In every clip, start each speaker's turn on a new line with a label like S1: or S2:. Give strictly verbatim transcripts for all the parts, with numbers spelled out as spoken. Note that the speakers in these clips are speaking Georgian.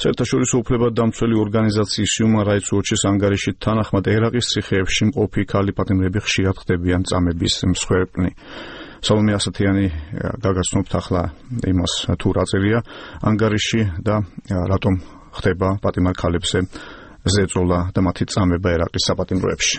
S1: საერთაშორისო უფლებადამცველი ორგანიზაციის Human Rights Watch-ის ანგარიშით თანახმად ერაყის ციხეებში მყოფი ქალი პატიმრები ხშირად ხდებიან წამების მსხვერპლნი. Salome Asatiani გაგაცნობთ ახლა იმას თუ რა წერია ანგარიში და რატომ ხდება პატიმარ ქალებზე ზეწოლა და მათი წამება ერაყის საპატიმროებში.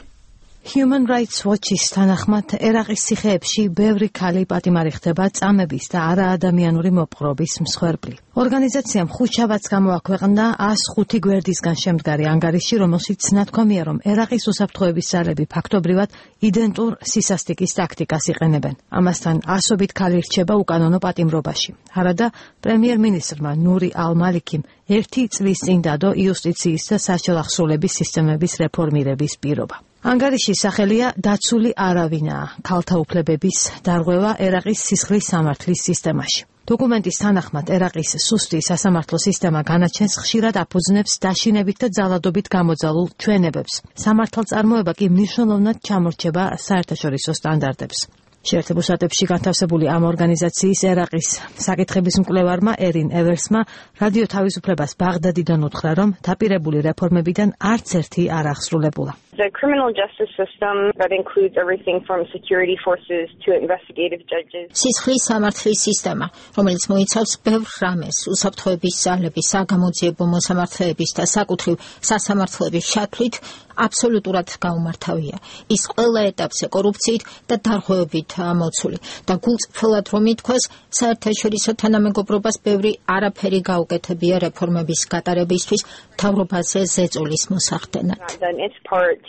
S2: Human Rights Watch-ის თანახმად ერაყის ციხეებში ბევრი ქალი პატიმარი ხდება წამების და არაადამიანური მოპყრობის მსხვერპლი. ორგანიზაციამ ხუთშაბათს გამოაქვეყნა ას ხუთი გვერდისგან შემდგარი ანგარიში, რომელშიც ნათქვამია, რომ ერაყის უსაფრთხოების ძალები ფაქტობრივად იდენტურ სისასტიკის ტაქტიკას იყენებენ. ამასთან ასობით ქალი რჩება უკანონო პატიმრობაში. არადა პრემიერ-მინისტრმა ნური ალ-მალიქიმ ერთი წლის წინ დადო იუსტიციის და საშუალო ახსოვლების სისტემების რეფორმირების პირობა. ანგარიშის სახელია დაცული არავინაა ქალთა უფლებების დარღვევა ერაყის სისხლის სამართლის სისტემაში. დოკუმენტის თანახმად ერაყის სუსტი სასამართლო სისტემა განაჩენს ხშირად აფუძნებს დაშინებით და ძალადობით გამოძალულ ჩვენებებს. სამართალწარმოება კი მნიშვნელოვნად ჩამორჩება საერთაშორისო სტანდარტებს. შეერთებულ შტატებში განთავსებული ამ ორგანიზაციის ერაყის საკითხების მკვლევარმა ერინ ევერსმა რადიო თავისუფლებას ბაღდადიდან უთხრა, რომ დაპირებული რეფორმებიდან არც ერთი არ აღსრულებულა.
S3: The criminal justice system that includes everything from security forces to investigative judges.
S4: სისხლის სამართლის სისტემა, რომელიც მოიცავს ბევრ რამეს, უსაფრთხოების ძალების, საგამოძიებო მოსამართლეების და საკუთრივ სასამართლოების შათვლით აბსოლუტურად გაუმართავია. ის ყველა ეტაპზე კორუფციით და დარღვევებით ამოცული და გულწრფელად რომ ითქვას, საერთაშორისო თანამეგობრობას ბევრი არაფერი გაუკეთებია რეფორმების გატარებისთვის მთავრობაზე ზეწოლის მოსახდენად.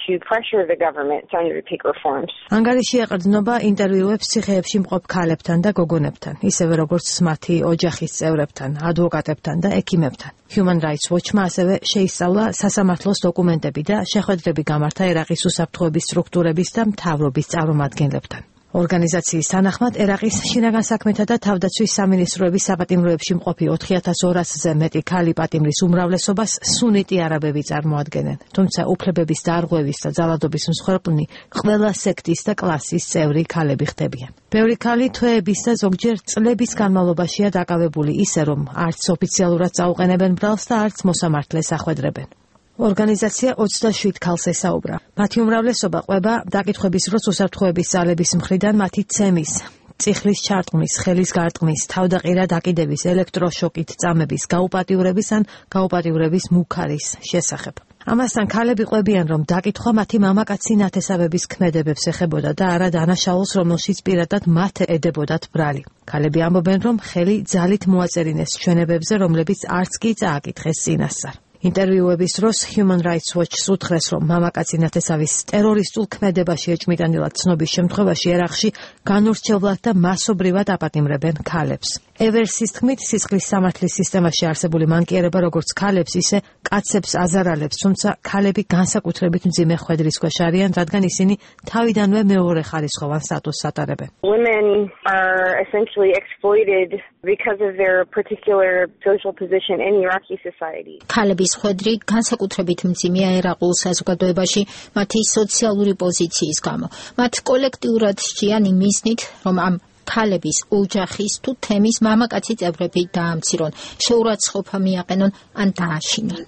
S3: To pressure the government to undertake reforms.
S2: ანგარიში ეყრდნობა ინტერვიუებს ციხეებში მყოფ ქალებთან და გოგონებთან, ისევე როგორც მათი ოჯახის წევრებთან, ადვოკატებთან და ექიმებთან. Human Rights Watch-მა ასევე შეისწავლა სასამართლოს დოკუმენტები და შეხვედრები გამართა ერაყის უსაფრთხოების სტრუქტურების და მთავრობის წარმომადგენლებთან. ორგანიზაციის თანახმად ერაყის შინაგან საქმეთა და თავდაცვის სამინისტროების საპატიმროებში მყოფი ოთხი ათას ორასზე მეტი ქალი პატიმრის უმრავლესობას სუნიტი არაბები წარმოადგენენ, თუმცა უფლებების დარღვევის და ძალადობის მსხვერპლნი ყველა სექტის და კლასის წევრი ქალები ხდებიან. ბევრი ქალი თვეების და ზოგჯერ წლების განმავლობაშია დაკავებული ისე, რომ არც ოფიციალურად წაუყენებენ ბრალს და არც მოსამართლეს ახვედრებენ. ორგანიზაცია ოცდაშვიდ ქალს ესაუბრა. მათი უმრავლესობა ყვება დაკითხვების დროს უსაფრთხოების ძალების მხრიდან მათი ცემის, წიხლის ჩარტყმის, ხელის გარტყმის, თავდაყირა დაკიდების, ელექტროშოკით წამების, გაუპატიურების ან გაუპატიურების მუქარის შესახებ. ამასთან ქალები ყვებიან, რომ დაკითხვა მათი მამაკაცი ნათესავების ქმედებებს ეხებოდა და არა დანაშაულს, რომელშიც პირადად მათ ედებოდათ ბრალი. ქალები ამბობენ, რომ ხელი ძალით მოაწერინეს ჩვენებებზე, რომლებიც არც კი წააკითხეს წინასწარ. ინტერვიუების დროს Human Rights Watch-ს უთხრეს, რომ მამაკაცი ნათესავის ტერორისტულ ქმედებაში ეჭმიტანილად ცნობის შემთხვევაში ერაყში განურჩევლად და მასობრივად აპატიმრებენ ქალებს. ევერსის თქმით, სისხლის სამართლის სისტემაში არსებული მანკიერება როგორც ქალებს, ისე კაცებს აზარალებს, თუმცა ქალები განსაკუთრებით მძიმე ხვედრის ქვეშ არიან, რადგან ისინი თავიდანვე მეორეხარისხოვან სტატუსს ატარებენ.
S3: Women are essentially exploited because of their particular social position in Iraqi society.
S4: ქალების ხვედრი განსაკუთრებით მძიმეა ერაყულ საზოგადოებაში მათი სოციალური პოზიციის გამო. მათ კოლექტიურად სჭიან იმისნით, რომ ამ ქალების ოჯახის თუ თემის მამაკაცი წევრები დაამცირონ, შეურაცხყოფა მიაყენონ ან დააშინონ.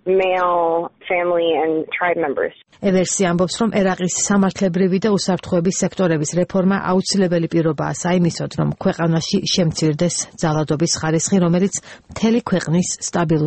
S3: Male family and tribe members.
S2: ევერსი ამბობს, რომ ერაყის სამართლებრივი და უსაფრთხოების სექტორების რეფორმა აუცილებელი პირობაა საიმისოდ, რომ ქვეყანაში შემცირდეს ძალადობის ხარისხი, რომელიც მთელი ქვეყნის სტაბილურობას